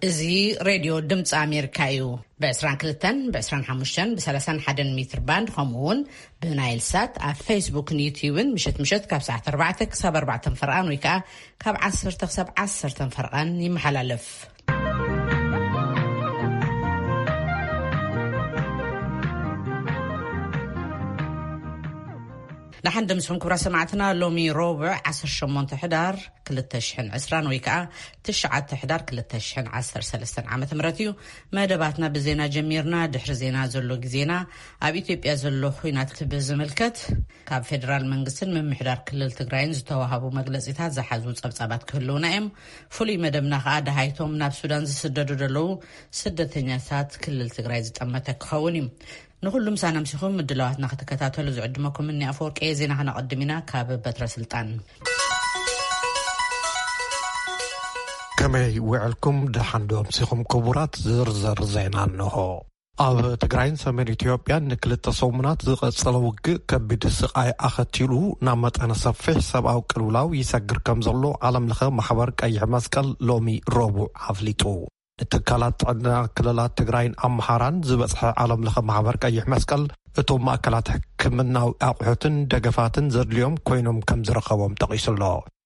እዚ ሬድዮ ድምፂ ኣሜሪካ እዩ። ብ22፣ ብ25፣ ብ31 ሜትር ባንድ፣ ከምኡ እውን ብናይል ሳት ኣብ ፌስቡክን ዩትዩብን ምሸት ምሸት ካብ ሰዓት ኣርባዕተ ክሳብ ኣርባዕተ ፈርቓን ወይ ከዓ ካብ ዓሰርተ ክሳብ ዓሰርተ ፈርቓን ይመሓላለፍ። ደሓን ደምስኹም ክቡራት ሰማዕትና። ሎሚ ረቡዕ ዓሰርተ ሸሞንተ ሕዳር ክልተ ሽሕን ዕስራን ወይ ከዓ ትሽዓተ ሕዳር ክልተ ሽሕን ዓሰርተ ሰለስተን ዓመተ ምህረት እዩ። መደባትና ብዜና ጀሚርና። ድሕሪ ዜና ዘሎ ግዜና ኣብ ኢትዮጵያ ዘሎ ኹናት ብዝምልከት ካብ ፌደራል መንግስትን ምምሕዳር ክልል ትግራይን ዝተዋሃቡ መግለጺታት ዝሓዙ ጸብጻባት ክህልውና እዮም። ፍሉይ መደብና ከዓ ደሃይቶም ናብ ሱዳን ዝስደዱ ዘለዉ ስደተኛታት ክልል ትግራይ ዝጠመተ ክኸውን እዩ። ንኹሉ ምሳና ምሲኹም ምድላዋትና ክትከታተሉ ዝዕድመኩም እኒ ኣፈወርቂ። ዜና ከነቐድም ኢና ካብ በትረ ስልጣን። ከመይ ውዕልኩም? ደሓን ዶ ኣምሲኹም ክቡራት? ዝርዝር ዜና እንሆ። ኣብ ትግራይን ሰሜን ኢትዮጵያን ንክልተ ሰሙናት ዝቐጸለ ውግእ ከቢድ ስቓይ ኣኸቲሉ ናብ መጠነ ሰፊሕ ሰብኣዊ ቅልውላው ይሰግር ከም ዘሎ ዓለም ለኸ ማሕበር ቀይሕ መስቀል ሎሚ ረቡዕ ኣፍሊጡ። ንትካላት ጥዕና ክልላት ትግራይን ኣምሓራን ዝበጽሐ ዓለም ለኸ ማሕበር ቀይሕ መስቀል እቶም ማእከላት ሕክምናዊ ኣቑሑትን ደገፋትን ዘድልዮም ኮይኖም ከም ዝረኸቦም ጠቒሱ ኣሎ።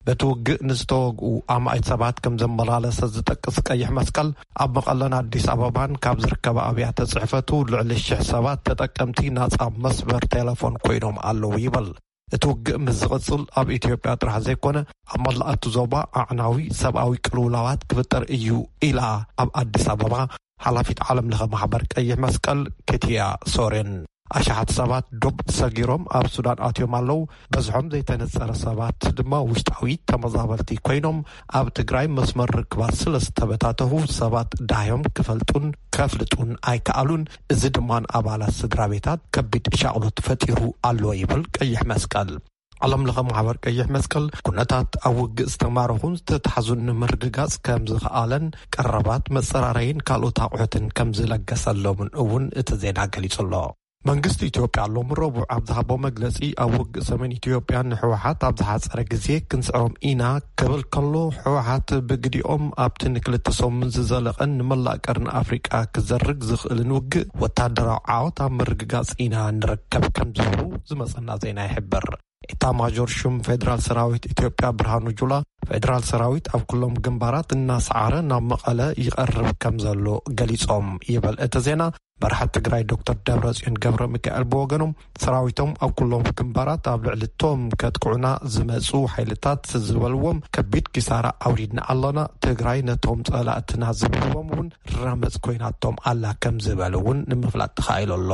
በቲ ውግእ ንዝተወግኡ ኣማኢት ሰባት ከም ዘመላለሰ ዝጠቅስ ቀይሕ መስቀል፣ ኣብ መቐለን ኣዲስ ኣበባን ካብ ዝርከባ ኣብያተ ጽሕፈቱ ልዕሊ ሽሕ ሰባት ተጠቀምቲ ናጻ መስመር ቴሌፎን ኮይኖም ኣለዉ ይብል። እቲ ውግእ ምስ ዝቕጽል ኣብ ኢትዮጵያ ጥራሕ ዘይኮነ ኣብ መላእ እቲ ዞባ ኣዕናዊ ሰብኣዊ ቅልውላዋት ክፍጠር እዩ ኢላ ኣብ ኣዲስ ኣበባ ሓላፊት ዓለም ለኸ ማሕበር ቀይሕ መስቀል ኬትያ ሶሬን። ኣሽሓት ሰባት ዶብ ሰጊሮም ኣብ ሱዳን ኣትዮም ኣለዉ። በዝሖም ዘይተነጸረ ሰባት ድማ ውሽጣዊ ተመዛበልቲ ኮይኖም ኣብ ትግራይ መስመር ርክባት ስለ ዝተበታተኹ ሰባት ዳዮም ክፈልጡን ከፍልጡን ኣይከኣሉን። እዚ ድማ ንኣባላት ስድራ ቤታት ከቢድ ሻቕሎት ፈጢሩ ኣሎ ይብል ቀይሕ መስቀል። ዓለም ለኸ ማሕበር ቀይሕ መስቀል ኩነታት ኣብ ውግእ ዝተማረኹን ዝተታሕዙን ንምርግጋጽ ከም ዝኸኣለን ቀረባት መጸራረይን ካልኦት ኣቑሑትን ከም ዝለገሰሎምን እውን እቲ ዜና ገሊጹ ኣሎ። መንግስቲ ኢትዮጵያ ሎም ረቡዕ ኣብ ዝሃቦ መግለጺ ኣብ ውግእ ሰሜን ኢትዮጵያ ንህወሓት ኣብ ዝሓጸረ ግዜ ክንስዕሮም ኢና ክብል ከሎ፣ ህወሓት ብግዲኦም ኣብቲ ንክልተ ሰሙን ዝዘለቐን ንመላእ ቀርኒ ኣፍሪቃ ክዘርግ ዝኽእልን ውግእ ወታደራዊ ዓወት ኣብ ምርግጋጽ ኢና ንርከብ ከም ዝብሉ ዝመጸና ዜና ይሕብር። ኤታማዦር ሹም ፌደራል ሰራዊት ኢትዮጵያ ብርሃኑ ጁላ፣ ፌደራል ሰራዊት ኣብ ኩሎም ግንባራት እናሰዓረ ናብ መቐለ ይቐርብ ከም ዘሎ ገሊጾም ይብል እቲ ዜና። መራሒ ትግራይ ዶክተር ደብረጽዮን ገብረ ሚካኤል ብወገኖም፣ ሰራዊቶም ኣብ ኩሎም ግንባራት ኣብ ልዕሊ እቶም ከጥቅዑና ዝመጹ ሓይልታት ዝበልዎም ከቢድ ኪሳራ ኣውሪድና ኣለና፣ ትግራይ ነቶም ጸላእትና ዝብልዎም እውን ራመጽ ኮይናቶም ኣላ ከም ዝበሉ እውን ንምፍላጥ ተኻኢሉ ኣሎ።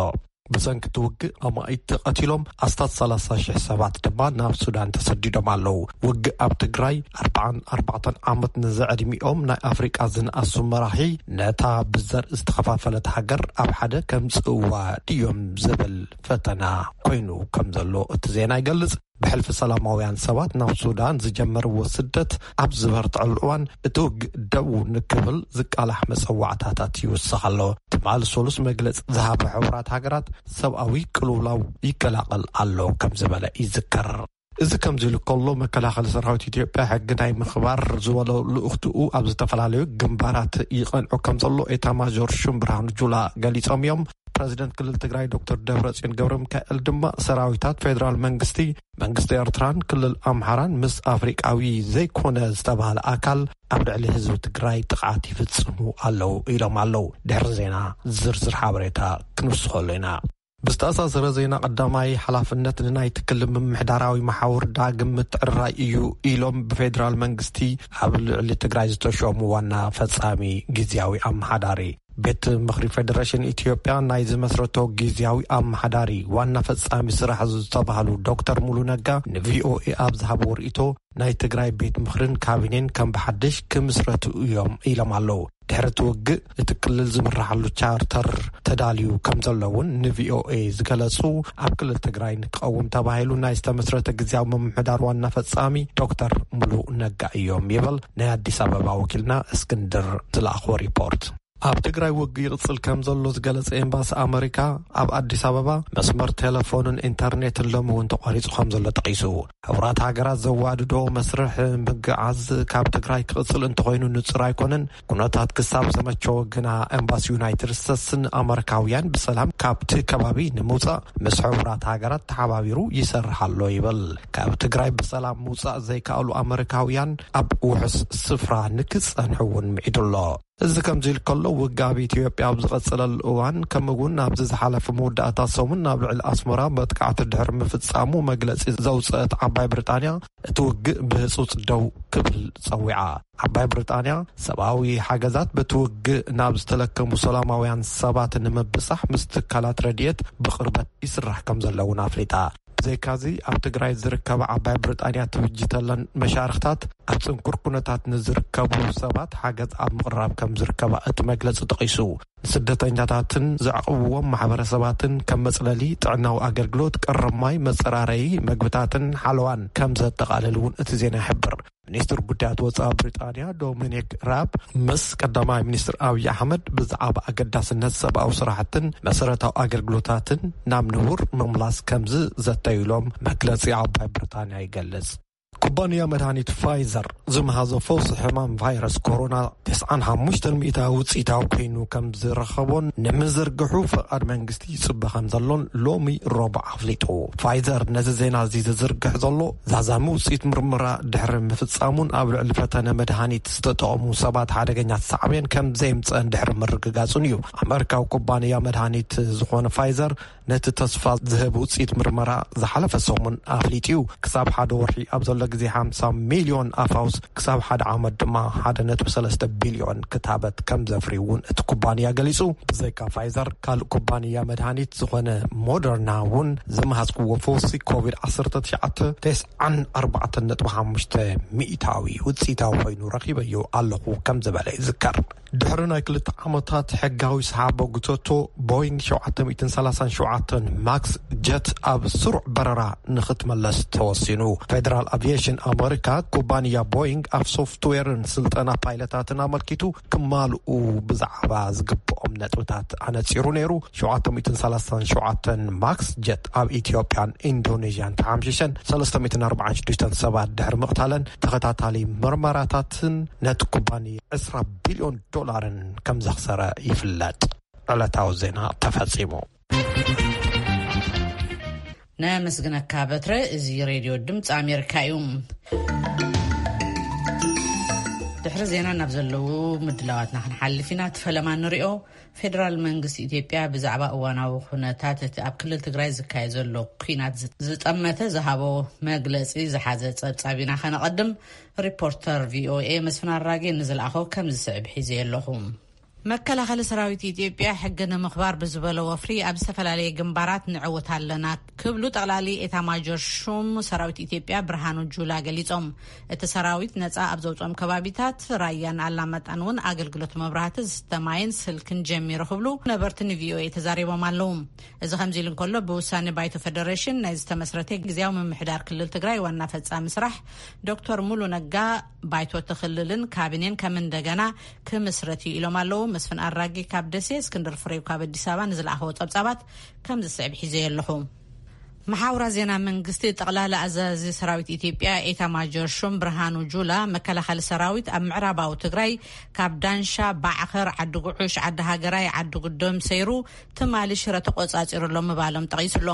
ብሰንኪ እቲ ውግእ ኣማኢት ተቐቲሎም፣ ኣስታት ሰላሳ ሽሕ ሰባት ድማ ናብ ሱዳን ተሰዲዶም ኣለዉ። ውግእ ኣብ ትግራይ ኣርባዓን ኣርባዕተን ዓመት ንዘዕድሚኦም ናይ ኣፍሪቃ ዝነኣሱ መራሒ፣ ነታ ብዘርኢ ዝተኸፋፈለት ሃገር ኣብ ሓደ ከምጽእዋ ድዮም ዝብል ፈተና ኮይኑ ከም ዘሎ እቲ ዜና ይገልጽ። ብሕልፊ ሰላማውያን ሰባት ናብ ሱዳን ዝጀመርዎ ስደት ኣብ ዝበርትዐሉ እዋን፣ እቲ ውግእ ደው ንክብል ዝቃላሕ መጸዋዕታታት ይውስኽ ኣሎ። ትማሊ ሰሉስ መግለጺ ዝሃበ ሕቡራት ሃገራት፣ ሰብኣዊ ቅልውላው ይቀላቐል ኣሎ ከም ዝበለ ይዝከር። እዚ ከምዚ ኢሉ ከሎ፣ መከላኸሊ ሰራዊት ኢትዮጵያ ሕጊ ናይ ምኽባር ዝበሎ ልኡኽትኡ ኣብ ዝተፈላለዩ ግንባራት ይቐንዑ ከም ዘሎ ኤታማዦር ሹም ብርሃኑ ጁላ ገሊጾም እዮም። ፕረዚደንት ክልል ትግራይ ዶክተር ደብረጽዮን ገብረ ሚካኤል ድማ፣ ሰራዊታት ፌደራል መንግስቲ፣ መንግስቲ ኤርትራን ክልል ኣምሓራን ምስ ኣፍሪቃዊ ዘይኮነ ዝተባህለ ኣካል ኣብ ልዕሊ ህዝቢ ትግራይ ጥቕዓት ይፍጽሙ ኣለዉ ኢሎም ኣለዉ። ድሕሪ ዜና ዝርዝር ሓበሬታ ክንውስኸሉ ኢና። ብዝተኣሳሰረ ዜና፣ ቀዳማይ ሓላፍነት ንናይቲ ክልል ምምሕዳራዊ መሓውር ዳግም ምትዕርራይ እዩ ኢሎም ብፌደራል መንግስቲ ኣብ ልዕሊ ትግራይ ዝተሾሙ ዋና ፈጻሚ ግዝያዊ ኣመሓዳሪ። ቤት ምኽሪ ፌደሬሽን ኢትዮጵያ ናይ ዝመስረቶ ግዝያዊ ኣመሓዳሪ ዋና ፈጻሚ ስራሕ ዝተባህሉ ዶክተር ሙሉ ነጋ ንቪኦኤ ኣብ ዝሃብዎ ርእይቶ፣ ናይ ትግራይ ቤት ምኽርን ካቢኔን ከም ብሓድሽ ክምስረቱ እዮም ኢሎም ኣለዉ። ድሕሪ እቲ ውግእ እቲ ክልል ዝምርሓሉ ቻርተር ተዳልዩ ከም ዘሎ እውን ንቪኦኤ ዝገለጹ፣ ኣብ ክልል ትግራይ ንክቐውም ተባሂሉ ናይ ዝተመስረተ ግዝያዊ ምምሕዳር ዋና ፈጻሚ ዶክተር ሙሉ ነጋ እዮም ይብል ናይ ኣዲስ ኣበባ ወኪልና እስክንድር ዝለኣኽዎ ሪፖርት። ኣብ ትግራይ ውግእ ይቕጽል ከም ዘሎ ዝገለጸ ኤምባሲ ኣመሪካ፣ ኣብ ኣዲስ ኣበባ መስመር ቴሌፎንን ኢንተርኔትን ሎሚ እውን ተቋሪጹ ከም ዘሎ ጠቒሱ። ሕቡራት ሃገራት ዘዋድዶ መስርሕ ምግዓዝ ካብ ትግራይ ክቕጽል እንተኾይኑ ንጹር ኣይኮነን። ኩነታት ክሳብ ዘመቸው ግና ኤምባሲ ዩናይትድ ስቴትስን ኣመሪካውያን ብሰላም ካብቲ ከባቢ ንምውጻእ ምስ ሕቡራት ሃገራት ተሓባቢሩ ይሰርሕ ኣሎ ይብል። ካብ ትግራይ ብሰላም ምውጻእ ዘይከኣሉ ኣመሪካውያን ኣብ ውሑስ ስፍራ ንክጸንሑ እውን ምዒዱ ኣሎ። እዚ ከምዚ ኢሉ ከሎ፣ ውግእ ኣብ ኢትዮጵያ ኣብ ዝቐጸለሉ እዋን፣ ከምኡ እውን ኣብዚ ዝሓለፈ መወዳእታ ሰሙን ናብ ልዕሊ ኣስመራ መጥቃዕቲ ድሕሪ ምፍጻሙ መግለጺ ዘውጽአት ዓባይ ብሪጣንያ፣ እቲ ውግእ ብህጹጽ ደው ክብል ጸዊዓ። ዓባይ ብሪጣንያ፣ ሰብኣዊ ሓገዛት በቲ ውግእ ናብ ዝተለከሙ ሰላማውያን ሰባት ንምብጻሕ ምስ ትካላት ረድኤት ብቕርበት ይስራሕ ከም ዘሎ እውን ኣፍሊጣ። ብዘይካዚ፣ ኣብ ትግራይ ዝርከባ ዓባይ ብሪጣንያ ትብጅተለን መሻርኽታት፣ ኣብ ጽንኩር ኩነታት ንዝርከቡ ሰባት ሓገዝ ኣብ ምቕራብ ከም ዝርከባ እቲ መግለጺ ጠቒሱ። ንስደተኛታትን ዘዕቕብዎም ማሕበረሰባትን ከም መጽለሊ፣ ጥዕናዊ ኣገልግሎት፣ ቀረብ ማይ፣ መጸራረዪ፣ መግብታትን ሓለዋን ከም ዘጠቓልል እውን እቲ ዜና ይሕብር። ሚኒስትር ጉዳያት ወጻኢ ብሪጣንያ ዶሚኒክ ራብ ምስ ቀዳማይ ሚኒስትር ኣብይ ኣሕመድ ብዛዕባ ኣገዳስነት ሰብኣዊ ስራሕትን መሰረታዊ ኣገልግሎታትን ናብ ንቡር ምምላስ ከም ዝዘተዩ ኢሎም መግለጺ ዓባይ ብሪጣንያ ይገልጽ። ኩባንያ መድሃኒት ፋይዘር ዝመሃዞ ፈውሲ ሕማም ቫይረስ ኮሮና ተስዓን ሓሙሽተን ሚእታዊ ውጽኢታዊ ኮይኑ ከም ዝረኸቦን ንምዝርግሑ ፈቓድ መንግስቲ ይጽበ ከም ዘሎን ሎሚ ረቡዕ ኣፍሊጡ። ፋይዘር ነዚ ዜና እዚ ዝዝርግሕ ዘሎ ዛዛሚ ውጽኢት ምርመራ ድሕሪ ምፍጻሙን ኣብ ልዕሊ ፈተነ መድሃኒት ዝተጠቐሙ ሰባት ሓደገኛ ሳዕቤን ከም ዘየምጽአን ድሕሪ ምርግጋጹን እዩ። ኣመሪካዊ ኩባንያ መድሃኒት ዝኾነ ፋይዘር ነቲ ተስፋ ዝህብ ውጽኢት ምርመራ ዝሓለፈ ሰሙን ኣፍሊጡ እዩ። ክሳብ ሓደ ወርሒ ኣብ ዘሎ ግዜ ሓምሳ ሚልዮን ኣፋውስ፣ ክሳብ ሓደ ዓመት ድማ ሓደ ነጥቢ ሰለስተ ቢልዮን ክታበት ከም ዘፍሪ እውን እቲ ኩባንያ ገሊጹ። ብዘይካ ፋይዘር፣ ካልእ ኩባንያ መድሃኒት ዝኾነ ሞደርና እውን ዝመሃዝክዎ ፈውሲ ኮቪድ ዓሰርተ ትሽዓተ ተስዓን ኣርባዕተን ነጥቢ ሓሙሽተ ሚእታዊ ውጽኢታዊ ኮይኑ ረኺበዮ ኣለኹ ከም ዝበለ ይዝከር። ድሕሪ ናይ ክልተ ዓመታት ሕጋዊ ሰሓቦ ጉተቶ፣ ቦይንግ ሸውዓተ ሚእትን ሰላሳን ሸውዓተን ማክስ ጀት ኣብ ስሩዕ በረራ ንኽትመለስ ተወሲኑ። ፌደራል ኣቪዬሽን ኣመሪካ፣ ኩባንያ ቦይንግ ኣብ ሶፍትዌርን ስልጠና ፓይለታትን ኣመልኪቱ ክማልኡ ብዛዕባ ዝግብኦም ነጥብታት ኣነጺሩ ነይሩ። ሸውዓተ ሚእትን ሰላሳን ሸውዓተን ማክስ ጀት ኣብ ኢትዮጵያን ኢንዶኔዥያን ተሓምሺሸን ሰለስተ ሚእትን ኣርባዓን ሽዱሽተን ሰባት ድሕሪ ምቕታለን ተኸታታሊ ምርመራታትን ነቲ ኩባንያ ዕስራ ቢልዮን ዶላርን ከም ዘኽሰረ ይፍለጥ። ዕለታዊ ዜና ተፈጺሙ። ነመስግነካ በትረ። እዚ ሬድዮ ድምፂ ኣሜሪካ እዩ። ድሕሪ ዜና ናብ ዘለዉ ምድላዋትና ክንሓልፍ ኢና። እቲ ፈለማ ንሪኦ። ፌደራል መንግስቲ ኢትዮጵያ ብዛዕባ እዋናዊ ኩነታት እቲ ኣብ ክልል ትግራይ ዝካየድ ዘሎ ኲናት ዝ-፣ ዝጠመተ ዝሃቦ መግለጺ ዝሓዘ ጸብጻብ ኢና ከነቐድም። ሪፖርተር ቪኦኤ መስፍን ኣራጌ ንዝለኣኾ ከም ዝስዕብ ሒዘ ኣለኹ። መከላኸሊ ሰራዊት ኢትዮጵያ ሕጊ ንምኽባር ብዝበሎ ወፍሪ ኣብ ዝተፈላለየ ግንባራት ንዕወት ኣለና ክብሉ ጠቕላሊ ኤታ ማጆር ሹም ሰራዊት ኢትዮጵያ ብርሃኑ ጁላ ገሊጾም። እቲ ሰራዊት ነጻ ኣብ ዘውጾም ከባቢታት ራያን ኣላማጣን እውን ኣገልግሎት መብራህቲ፣ ዝስተ ማይን ስልክን ጀሚሩ ክብሉ ነበርቲ ንቪኦኤ ተዛሪቦም ኣለዉ። እዚ ከምዚ ኢሉ እንከሎ፣ ብውሳኔ ባይቶ ፌደሬሽን ናይ ዝተመስረተ ግዝያዊ ምምሕዳር ክልል ትግራይ ዋና ፈጻሚ ስራሕ ዶክተር ሙሉ ነጋ፣ ባይቶ እቲ ክልልን ካቢኔን ከም እንደገና ክምስረት እዩ ኢሎም ኣለዉ። መስፍን ኣራጌ ካብ ደሴ፣ እስክንድር ፍሬው ካብ ኣዲስ ኣበባ ንዝለኣኸዎ ጸብጻባት ከም ዝስዕብ ሒዘ ኣለኹ። መሓውራ ዜና መንግስቲ፣ ጠቕላላ ኣዛዚ ሰራዊት ኢትዮጵያ ኤታ ማጆር ሹም ብርሃኑ ጁላ፣ መከላኸሊ ሰራዊት ኣብ ምዕራባዊ ትግራይ ካብ ዳንሻ፣ ባዕኸር፣ ዓዲ ጉዑሽ፣ ዓዲ ሃገራይ፣ ዓዲ ጉዶም ሰይሩ ትማሊ ሽረ ተቆጻጺሩ ኣሎ ምባሎም ጠቒሱ ኣሎ።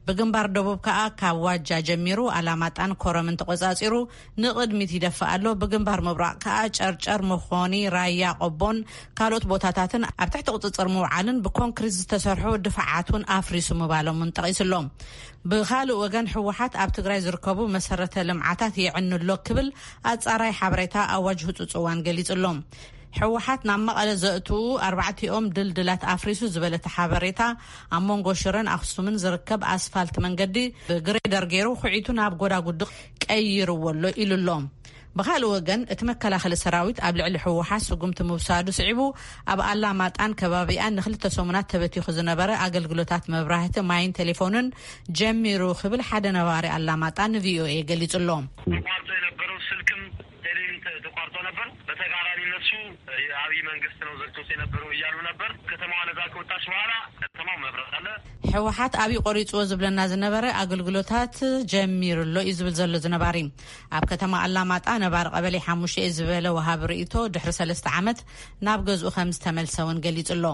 ብግንባር ደቡብ ከኣ ካብ ዋጃ ጀሚሩ ኣላማጣን ኮረምን ተቆጻጺሩ ንቕድሚት ይደፍእ ኣሎ። ብግንባር ምብራቕ ከኣ ጨርጨር፣ መኾኒ፣ ራያ ቆቦን ካልኦት ቦታታትን ኣብ ትሕቲ ቁጽጽር ምውዓልን ብኮንክሪት ዝተሰርሑ ድፋዓት እውን ኣፍሪሱ ምባሎም እውን ጠቒሱ ኣሎ። ብኻልእ ወገን፣ ህወሓት ኣብ ትግራይ ዝርከቡ መሰረተ ልምዓታት የዕኑ ኣሎ ክብል ኣጻራይ ሓበሬታ ኣዋጅ ህጹጽ እዋን ገሊጹ ኣሎ። ህወሓት ናብ መቐለ ዘእትዉ ኣርባዕቲኦም ድልድላት ኣፍሪሱ ዝበለ እቲ ሓበሬታ፣ ኣብ መንጎ ሽረን ኣኽሱምን ዝርከብ ኣስፋልት መንገዲ ብግሬደር ገይሩ ኩዒቱ ናብ ጎዳጉዲ ቀይርዎ ኣሎ ኢሉ ኣሎ። ብኻልእ ወገን፣ እቲ መከላኸሊ ሰራዊት ኣብ ልዕሊ ህወሓት ስጉምቲ ምውሳዱ ስዒቡ፣ ኣብ ኣላማጣን ከባቢኣን ንክልተ ሰሙናት ተበቲኹ ዝነበረ ኣገልግሎታት መብራህቲ፣ ማይን ቴሌፎንን ጀሚሩ ክብል ሓደ ነባሪ ኣላማጣ ንቪኦኤ ገሊጹ ኣሎ። ተቋርጦ የነበረው ስልክም ቴሌም ተ-፣ ተቋርጦ ነበር። በተቃራኒ እነሱ የአብይ መንግስት ነው ዘግቶት የነበረው መብራት ኣለ። ህወሓት ኣብዩ ቆሪፅዎ ዝብለና ዝነበረ ኣገልግሎታት ጀሚሩ ኣሎ እዩ ዝብል ዘሎ ዝነባሪ። ኣብ ከተማ ኣላማጣ ነባሪ ቀበሌ ሓሙሽተ እዩ ዝበለ ወሃቢ ርእቶ፣ ድሕሪ ሰለስተ ዓመት ናብ ገዝኡ ከም ዝተመልሰ እውን ገሊጹ ኣሎ።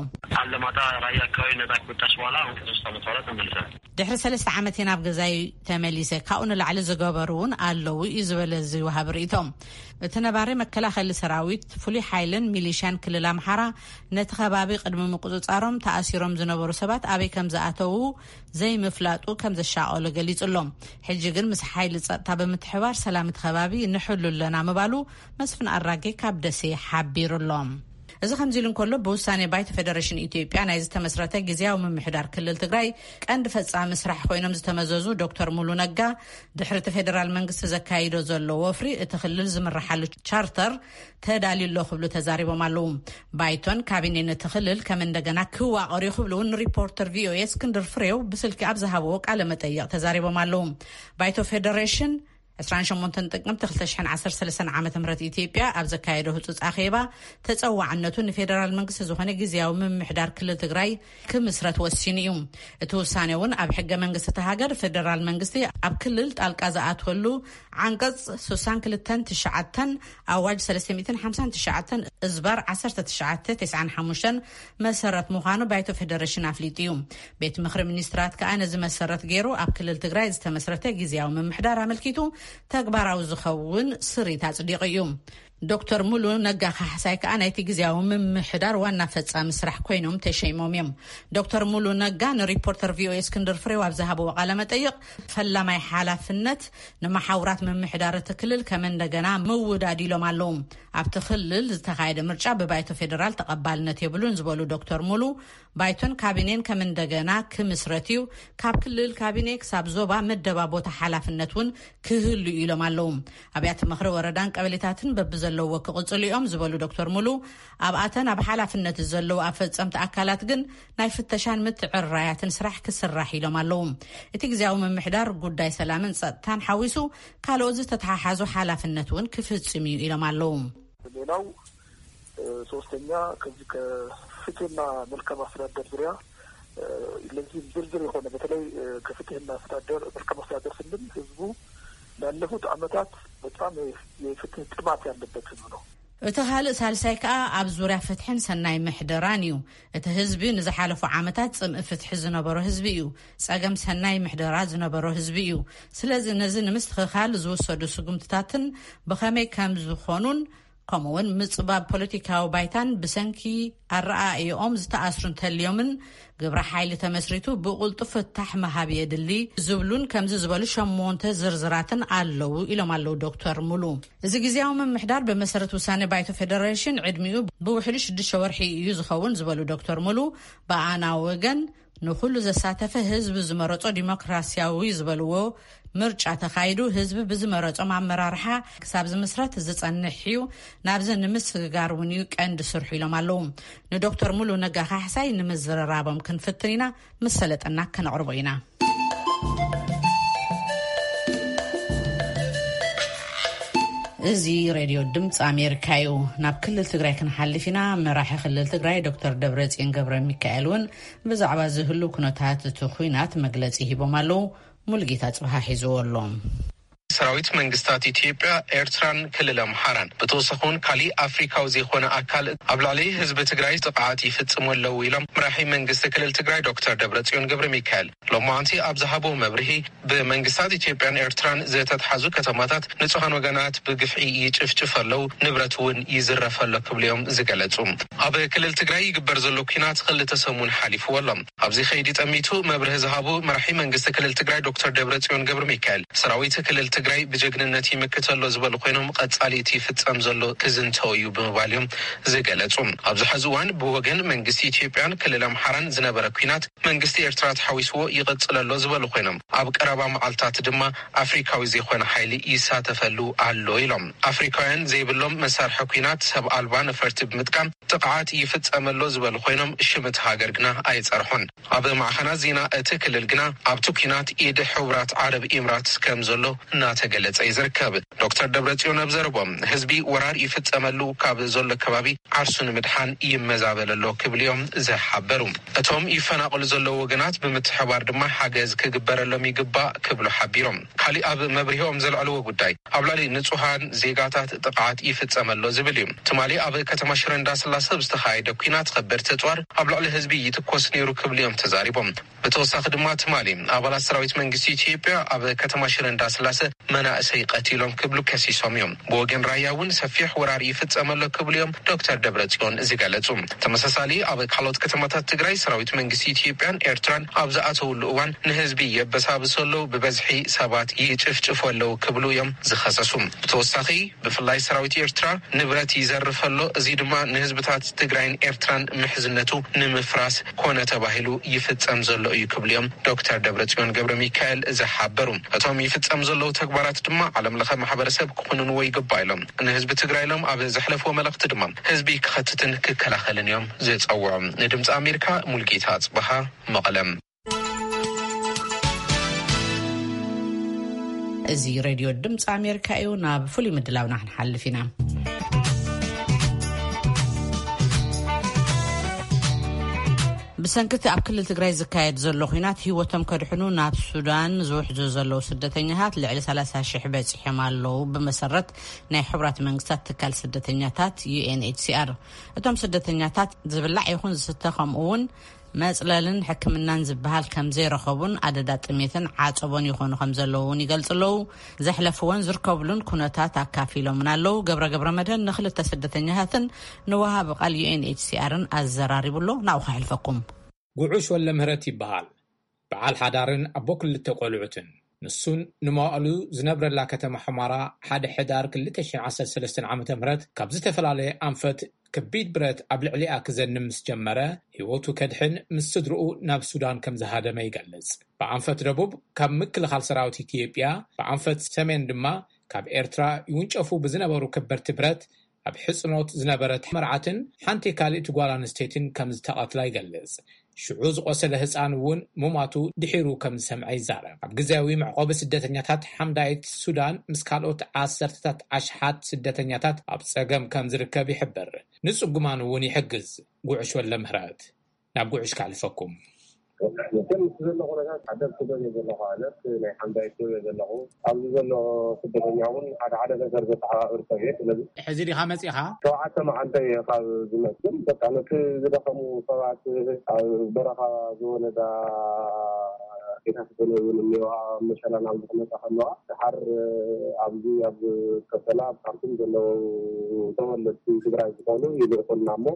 ኣለማጣ ራያ ኣካባቢ ነፃ ክወጣሽ በኋላ አሁን ከሶስት ዓመት በኋላ ተመልሰናል። ድሕሪ ሰለስተ ዓመት እየ ናብ ገዛይ ተመሊሰ። ካብኡ ንላዕሊ ዝገበሩ እውን ኣለዉ እዩ ዝበለ እዚ ወሃቢ ርእቶ። እቲ ነባሪ፣ መከላኸሊ ሰራዊት፣ ፍሉይ ሓይልን ሚሊሻን ክልል ኣምሓራ ነቲ ከባቢ ቅድሚ ምቁፅፃሮም ተኣሲሮም ዝነበሩ ሰባት ኣበይ ከም ዝኣተዉ ዘይምፍላጡ ከም ዘሻቐሎ ገሊጹ ኣሎ። ሕጂ ግን ምስ ሓይሊ ጸጥታ ብምትሕባር ሰላም እቲ ከባቢ ንሕሉ ኣለና ምባሉ መስፍን ኣራጌ ካብ ደሴ ሓቢሩ ኣሎ። እዚ ከምዚ ኢሉ እንከሎ፣ ብውሳኔ ባይቶ ፌደሬሽን ኢትዮጵያ ናይ ዝተመስረተ ግዝያዊ ምምሕዳር ክልል ትግራይ ቀንዲ ፈጻሚ ስራሕ ኮይኖም ዝተመዘዙ ዶክተር ሙሉ ነጋ፣ ድሕሪ እቲ ፌደራል መንግስቲ ዘካይዶ ዘሎ ወፍሪ፣ እቲ ክልል ዝምርሓሉ ቻርተር ተዳልዩ ኣሎ ክብሉ ተዛሪቦም ኣለዉ። ባይቶን ካቢኔን እቲ ክልል ከም እንደገና ክዋቐር እዩ ክብሉ እውን ሪፖርተር ቪኦኤ እስክንድር ፍሬው ብስልኪ ኣብ ዝሃብዎ ቃለ መጠይቕ ተዛሪቦም ኣለዉ። ባይቶ ፌደሬሽን ዕስራን ሸሞንተን ጥቅምቲ ክልተ ሽሕን ዓሰርተ ሰለስተን ዓመተ ምህረት ኢትዮጵያ ኣብ ዘካየዶ ህጹጽ ኣኼባ፣ ተጸዋዕነቱ ንፌደራል መንግስቲ ዝኾነ ግዝያዊ ምምሕዳር ክልል ትግራይ ክምስረት ወሲኑ እዩ። እቲ ውሳኔ እውን ኣብ ሕገ መንግስቲ እታ ሃገር፣ ፌደራል መንግስቲ ኣብ ክልል ጣልቃ ዝኣትወሉ ዓንቀጽ ስሳን ክልተን ትሽዓተን፣ ኣዋጅ ሰለስተ ሚእትን ሓምሳን ትሽዓተን እዝባር ዓሰርተ ትሽዓተ ተስዓን ሓሙሽተን መሰረት ምዃኑ ባይቶ ፌደሬሽን ኣፍሊጡ እዩ። ቤት ምኽሪ ሚኒስትራት ከኣ ነዚ መሰረት ገይሩ ኣብ ክልል ትግራይ ዝተመስረተ ግዝያዊ ምምሕዳር ኣመልኪቱ ተግባራዊ ዝኸውን ስሪት ኣጽዲቑ እዩ። ዶክተር ሙሉ ነጋ ካሕሳይ ከኣ ናይቲ ግዝያዊ ምምሕዳር ዋና ፈጻሚ ስራሕ ኮይኖም ተሸይሞም እዮም። ዶክተር ሙሉ ነጋ ንሪፖርተር ቪኦኤ እስክንድር ፍሬው ኣብ ዝሃብዎ ቃለ መጠይቕ፣ ፈላማይ ሓላፍነት ንመሓውራት ምምሕዳር እቲ ክልል ከም እንደገና ምውዳድ ኢሎም ኣለዉ። ኣብቲ ክልል ዝተኻየደ ምርጫ ብባይቶ ፌደራል ተቐባልነት የብሉን ዝበሉ ዶክተር ሙሉ፣ ባይቶን ካቢኔን ከም እንደገና ክምስረት እዩ፣ ካብ ክልል ካቢኔ ክሳብ ዞባ መደባ ቦታ ሓላፍነት እውን ክህሉ እዩ ኢሎም ኣለዉ። ኣብያተ ምኽሪ ወረዳን ቀበሌታትን በብዘለዎ ክቕጽሉ እዮም ዝበሉ ዶክተር ሙሉ፣ ኣብኣተን ኣብ ሓላፍነት ዘለዉ ኣፈጸምቲ ኣካላት ግን ናይ ፍተሻን ምትዕራያትን ስራሕ ክስራሕ ኢሎም ኣለዉ። እቲ ግዝያዊ ምምሕዳር ጉዳይ ሰላምን ጸጥታን ሓዊሱ ካልኦት ዝተተሓሓዙ ሓላፍነት እውን ክፍጽም እዩ ኢሎም ኣለዉ። ሌላው፣ እ፣ ሶስተኛ፣ ከዚህ ከፍትህና መልካም አስተዳደር ዙሪያ፣ እ፣ ለዚህም ዝርዝር የሆነ፣ በተለይ፣ እ፣ ከፍትህና አስተዳደር፣ መልካም አስተዳደር ስንል ህዝቡ ላለፉት ዓመታት በጣም የ-፣ የፍትህ ጥማት ያለበት ህዝብ ነው። እቲ ካልእ ሳልሳይ ከኣ ኣብ ዙርያ ፍትሕን ሰናይ ምሕደራን እዩ። እቲ ህዝቢ ንዝሓለፉ ዓመታት ጽምኢ ፍትሒ ዝነበሮ ህዝቢ እዩ። ጸገም ሰናይ ምሕደራ ዝነበሮ ህዝቢ እዩ። ስለዚ ነዚ ንምስትኽኻል ዝውሰዱ ስጉምትታትን ብኸመይ ከም ዝኾኑን፣ ከምኡውን ምጽባብ ፖለቲካዊ ባይታን ብሰንኪ ኣረኣእዮኦም ዝተኣስሩ እንተልዮምን ግብረ ሓይሊ ተመስሪቱ ብቕልጡፍ ፍታሕ ምሃብ የድሊ ዝብሉን ከምዚ ዝበሉ ሸሞንተ ዝርዝራትን ኣለዉ ኢሎም ኣለዉ ዶክተር ሙሉ። እዚ ግዝያዊ ምምሕዳር ብመሰረት ውሳኔ ባይቶ ፌደሬሽን ዕድሚኡ ብውሕዱ ሽዱሽተ ወርሒ እዩ ዝኸውን ዝበሉ ዶክተር ሙሉ፣ ብኣና ወገን ንኹሉ ዘሳተፈ ህዝቢ ዝመረጾ ዲሞክራሲያዊ ዝበልዎ ምርጫ ተኻይዱ ህዝቢ ብዝመረጾም ኣመራርሓ ክሳብ ዝምስረት ዝጸንሕ እዩ። ናብዚ ንምስግጋር እውን እዩ ቀንዲ ስርሑ ኢሎም ኣለዉ። ንዶክተር ሙሉ ነጋ ካሕሳይ ንምዝርራቦም ክንፍትን ኢና፣ ምስ ሰለጠና ከነቕርቦ ኢና። እዚ ሬድዮ ድምፂ ኣሜሪካ እዩ። ናብ ክልል ትግራይ ክንሓልፍ ኢና። መራሒ ክልል ትግራይ ዶክተር ደብረፅዮን ገብረ ሚካኤል እውን ብዛዕባ ዝህሉ ኩነታት እቲ ኩናት መግለፂ ሂቦም ኣለዉ። ሙሉጌታ ፅብሃ ሒዝዎ ኣሎ። ሰራዊት መንግስታት ኢትዮጵያ፣ ኤርትራን ክልል ኣምሓራን ብተወሳኺ እውን ካሊእ ኣፍሪካዊ ዘይኮነ ኣካል ኣብ ልዕሊ ህዝቢ ትግራይ ጥቕዓት ይፍጽሙ ኣለዉ ኢሎም መራሒ መንግስቲ ክልል ትግራይ ዶክተር ደብረጽዮን ገብረ ሚካኤል። ሎማዓንቲ ኣብ ዝሃብዎ መብርሂ፣ ብመንግስታት ኢትዮጵያን ኤርትራን ዝተትሓዙ ከተማታት ንጹሃን ወገናት ብግፍዒ ይጭፍጭፍ ኣለዉ፣ ንብረት እውን ይዝረፍ ኣሎ ክብሉ እዮም ዝገለጹ። ኣብ ክልል ትግራይ ይግበር ዘሎ ኲናት ክልተ ሰሙን ሓሊፍዎ ኣሎ። ኣብዚ ከይዲ ጠሚቱ መብርሂ ዝሃቡ መራሒ መንግስቲ ክልል ትግራይ ዶክተር ደብረጽዮን ገብረ ሚካኤል፣ ሰራዊት ክልል ትግራይ ብጀግንነት ይምክት ኣሎ ዝበሉ ኮይኖም፣ ቀጻሊ እቲ ይፍጸም ዘሎ ክዝንተው እዩ ብምባል እዮም ዝገለጹ። ኣብዚ ሕዚ እዋን ብወገን መንግስቲ ኢትዮጵያን ክልል ኣምሓራን ዝነበረ ኲናት መንግስቲ ኤርትራ ተሓዊስዎ ይቕጽል ኣሎ ዝበሉ ኮይኖም፣ ኣብ ቀረባ መዓልታት ድማ ኣፍሪካዊ ዘይኮነ ሓይሊ ይሳተፈሉ ኣሎ ኢሎም። ኣፍሪካውያን ዘይብሎም መሳርሒ ኲናት፣ ሰብ ኣልባ ነፈርቲ ብምጥቃም ጥቕዓት ይፍጸም ኣሎ ዝበሉ ኮይኖም፣ ሽም እቲ ሃገር ግና ኣይጸርሑን። ኣብ ማዕኸናት ዜና እቲ ክልል ግና ኣብቲ ኲናት ኢድ ሕቡራት ዓረብ ኢምራት ከም ዘሎ እናተገለጸ እዩ ዝርከብ። ዶክተር ደብረጽዮን ኣብ ዘረቦም፣ ህዝቢ ወራር ይፍጸመሉ ካብ ዘሎ ከባቢ ዓርሱ ንምድሓን ይመዛበል ኣሎ ክብሉ እዮም ዝሓበሩ። እቶም ይፈናቐሉ ዘለዉ ወገናት ብምትሕባር ድማ ሓገዝ ክግበረሎም ይግባእ ክብሉ ሓቢሮም። ካሊእ ኣብ መብርሂኦም ዘልዕልዎ ጉዳይ፣ ኣብ ልዕሊ ንጹሃን ዜጋታት ጥቕዓት ይፍጸም ኣሎ ዝብል እዩ። ትማሊ ኣብ ከተማ ሽረ እንዳስላሰ ብዝተኻየደ ኲናት ከበድቲ ኣጽዋር ኣብ ልዕሊ ህዝቢ ይትኮስ ነይሩ ክብሉ እዮም ተዛሪቦም። ብተወሳኺ ድማ ትማሊ ኣባላት ሰራዊት መንግስቲ ኢትዮጵያ ኣብ ከተማ ሽረ እንዳስላሰ መናእሰይ ቀቲሎም ክብሉ ከሲሶም እዮም። ብወገን ራያ እውን ሰፊሕ ወራር ይፍጸም ኣሎ ክብሉ እዮም ዶክተር ደብረጽዮን ዝገለጹ። ተመሳሳሊ ኣብ ካልኦት ከተማታት ትግራይ ሰራዊት መንግስቲ ኢትዮጵያን ኤርትራን ኣብ ዝኣተውሉ እዋን ንህዝቢ የበሳብሱ ኣለዉ፣ ብበዝሒ ሰባት ይጭፍጭፉ ኣለዉ ክብሉ እዮም ዝኸሰሱ። ብተወሳኺ ብፍላይ ሰራዊት ኤርትራ ንብረት ይዘርፍ ኣሎ፣ እዚ ድማ ንህዝብታት ትግራይን ኤርትራን ምሕዝነቱ ንምፍራስ ኮነ ተባሂሉ ይፍጸም ዘሎ እዩ ክብሉ እዮም ዶክተር ደብረጽዮን ገብረ ሚካኤል ዝሓበሩ። እቶም ይፍጸም ዘለዉ ተግባራት ድማ ዓለም ለኸ ማሕበረሰብ ክኹንንዎ ይግባእ ኢሎም። ንህዝቢ ትግራይ ኢሎም ኣብ ዘሕለፍዎ መልእኽቲ ድማ ህዝቢ ክኸትትን ክከላኸልን እዮም ዝጸውዑ። ንድምፂ ኣሜሪካ ሙልጌታ ኣጽበሃ መቐለም። እዚ ሬድዮ ድምፂ ኣሜሪካ እዩ። ናብ ፍሉይ ምድላውና ክንሓልፍ ኢና። ብሰንክቲ ኣብ ክልል ትግራይ ዝካየድ ዘሎ ኲናት ህይወቶም ከድሕኑ ናብ ሱዳን ዝውሕዙ ዘለዉ ስደተኛታት ልዕሊ ሰላሳ ሽሕ በፂሖም ኣለዉ። ብመሰረት ናይ ሕቡራት መንግስታት ትካል ስደተኛታት ዩ ኤን ኤች ሲ ኣር፣ እቶም ስደተኛታት ዝብላዕ ይኹን ዝስተ ከምኡ እውን መጽለልን ሕክምናን ዝበሃል ከም ዘይረኸቡን ኣደዳ ጥሜትን ዓጸቦን ይኾኑ ከም ዘለዉ እውን ይገልጹ ኣለዉ። ዘሕለፍዎን ዝርከብሉን ኩነታት ኣካፊሎምን ኣለዉ። ገብረ ገብረ መድህን ንክልተ ስደተኛታትን ንወሃቢ ቃል ዩ ኤን ኤች ሲ ኣርን ኣዘራሪቡ ኣሎ። ናብኡ ከሕልፈኩም። ጉዑሽ ወልደምህረት ይበሃል። በዓል ሓዳርን ኣቦ ክልተ ቆልዑትን። ንሱን ንመዋእሉ ዝነብረላ ከተማ ሑመራ ሓደ ሕዳር ክልተ ሽሕን ዓሰርተ ሰለስተን ዓመተ ምህረት ካብ ዝተፈላለየ ኣንፈት ከቢድ ብረት ኣብ ልዕሊኣ ክዘንም ምስ ጀመረ፣ ህይወቱ ከድሕን ምስ ስድርኡ ናብ ሱዳን ከም ዝሃደመ ይገልጽ። ብኣንፈት ደቡብ ካብ ምክልኻል ሰራዊት ኢትዮጵያ፣ ብኣንፈት ሰሜን ድማ ካብ ኤርትራ ይውንጨፉ ብዝነበሩ ከበድቲ ብረት ኣብ ሕጽኖት ዝነበረት መርዓትን ሓንቲ ካልእቲ ጓል ኣንስተይትን ከም ዝተቐትላ ይገልጽ። ሽዑ ዝቖሰለ ህጻን እውን ሙማቱ ድሒሩ ከም ዝሰምዐ ይዛረብ። ኣብ ግዜያዊ መዕቆቢ ስደተኛታት ሓምዳይት ሱዳን ምስ ካልኦት ዓሰርተታት ኣሽሓት ስደተኛታት ኣብ ጸገም ከም ዝርከብ ይሕብር። ንጽጉማን እውን ይሕግዝ። ጉዕሽ ወልደምህረት። ናብ ጉዕሽ ከሕልፈኩም። መቸም ምስ ዘሎ ኩነታት ሓደር ክደል እየ ዘለኹ። ኣነት ናይ ሓምዳይት እየ ዘለኹ። ኣብዚ ዘሎ ስደተኛ እውን ሓደ ሓደ ነገር ዘተሓባብር ሰብ እየ። ስለዚ ሕዚ ዲኻ መጺኻ? ሸውዓተ መዓልተ እየ ካብ ዝመጽእ። በቃ ነቲ ዝደኸሙ ሰባት፣ ኣብ በረኻ ዝወለዳ ኣዴታት ገለ እውን እኒኦ፣ ኣብ መሸላ ናብ ዝመጻ ከለዋ ድሓር ኣብዚ ኣብ ከሰላ ኣብ ካርቱም ዘለዉ ተወለድቲ ትግራይ ዝኾኑ ይልእኹልና እሞ፣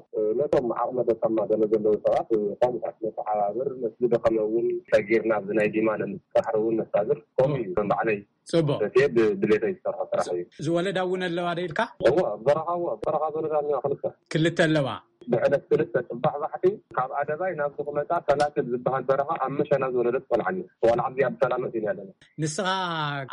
ነቶም ዓቕመ ደካማ ገለ ዘለዉ ሰባት ከምኡታት ነተሓባብር፣ ነቲ ዝደኸመ እውን ሰጊርና ኣብዚ ናይ ዲማ ንምስራሕ እውን ነሳግር። ከምኡ እዩ ከም ባዕለይ ጽቡቕ። በቴ ብ-፣ ድሌተይ ዝሰርሖ ስራሕ እዩ። ዝወለዳ እውን ኣለዋ ዶ ኢልካ? እወ፣ በረኻ፣ እወ፣ በረኻ ዝወለዳ እኒዋ ክልተ። ክልተ ኣለዋ? ብዕለት ክልተ ጽባሕ ባሕቲ ካብ ኣደባይ ናብዚ ክመጻ ሰላትል ዝበሃል በረኻ ኣብ መሸና ዝወለደት ቆልዓ እኒኣ። ቆልዓ ኣብዚ ኣብ ሰላም መጺእና ኣለና። ንስኻ